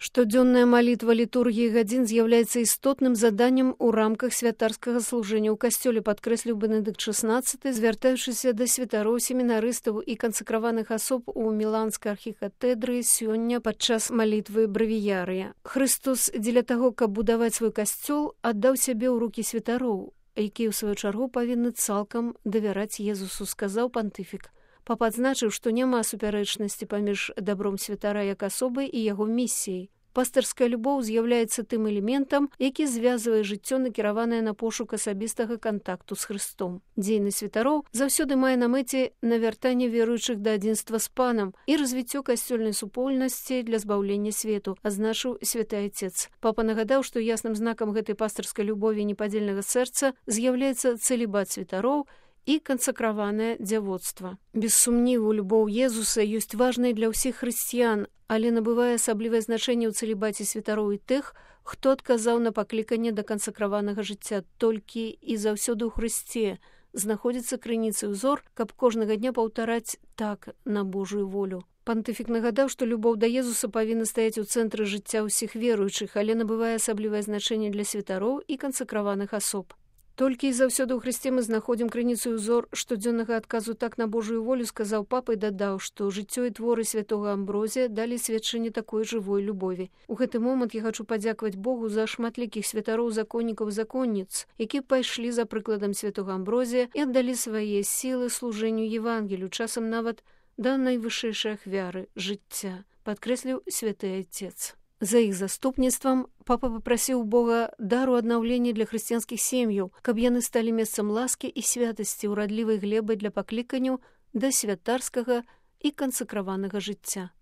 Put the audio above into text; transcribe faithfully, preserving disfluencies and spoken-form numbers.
Штодзённая малітва літургіі гадзін з'яўляецца істотным заданнем у рамках святарскага служэння ў касцёле, падкрэсліў Бенедыкт шаснаццаты, звяртаючыся да святароў, семінарыстаў і кансакраваных асоб у міланскай архікатэдры сёння падчас малітвы бравіярыя. Хрыстос дзеля таго, каб будаваць свой касцёл, аддаў сябе ў рукі святароў, якія ў сваю чаргу павінны цалкам давяраць Езусу, сказаў пантыфік. Папа адзначыў, што няма супярэчнасці паміж дабром святара як асобы і яго місіяй. Пастырская любоў з'яўляецца тым элементам, які звязвае жыццё, накіраванае на пошук асабістага кантакту з Хрыстом. Дзейнасць святароў заўсёды мае на мэце навяртанне веруючых да адзінства з панам і развіццё касцёльнай супольнасці для збаўлення свету, азначыў святы айцец. Папа нагадаў, што ясным знакам гэтай пастырскай любові непадзельнага сэрца з'яўляецца цэлібат святароў і кансакраванае дзявоцтва. Без сумніву, любоў Езуса ёсць важнай для ўсіх хрысціян, але набывае асаблівае значэнне ў цэлібаце святароў і тых, хто адказаў на пакліканне да кансакраванага жыцця. Толькі і заўсёды ў Хрысце знаходзіцца крыніца і ўзор, каб кожнага дня паўтараць так на Божую волю. Пантыфік нагадаў, што любоў да Езуса павінна стаяць у цэнтры жыцця ўсіх веруючых, але набывае асаблівае значэнне для святароў і кансакраваных асоб. Толькі і заўсёды ў Хрысце мы знаходзім крыніцу і ўзор штодзённага адказу так на Божую волю, сказаў папа і дадаў, што жыццё і творы святога Амброзія далі сведчанне такой жывой любові. У гэты момант я хачу падзякаваць Богу за шматлікіх святароў, законнікаў, законніц, якія пайшлі за прыкладам святога Амброзія і аддалі свае сілы служэнню Евангелію, часам нават да найвышэйшай ахвяры жыцця, падкрэсліў святы айцец. За іх заступніцтвам папа папрасіў Бога дару аднаўлення для хрысціянскіх сем'яў, каб яны сталі месцам ласкі і святасці, урадлівай глебай для пакліканняў да святарскага і кансакраванага жыцця.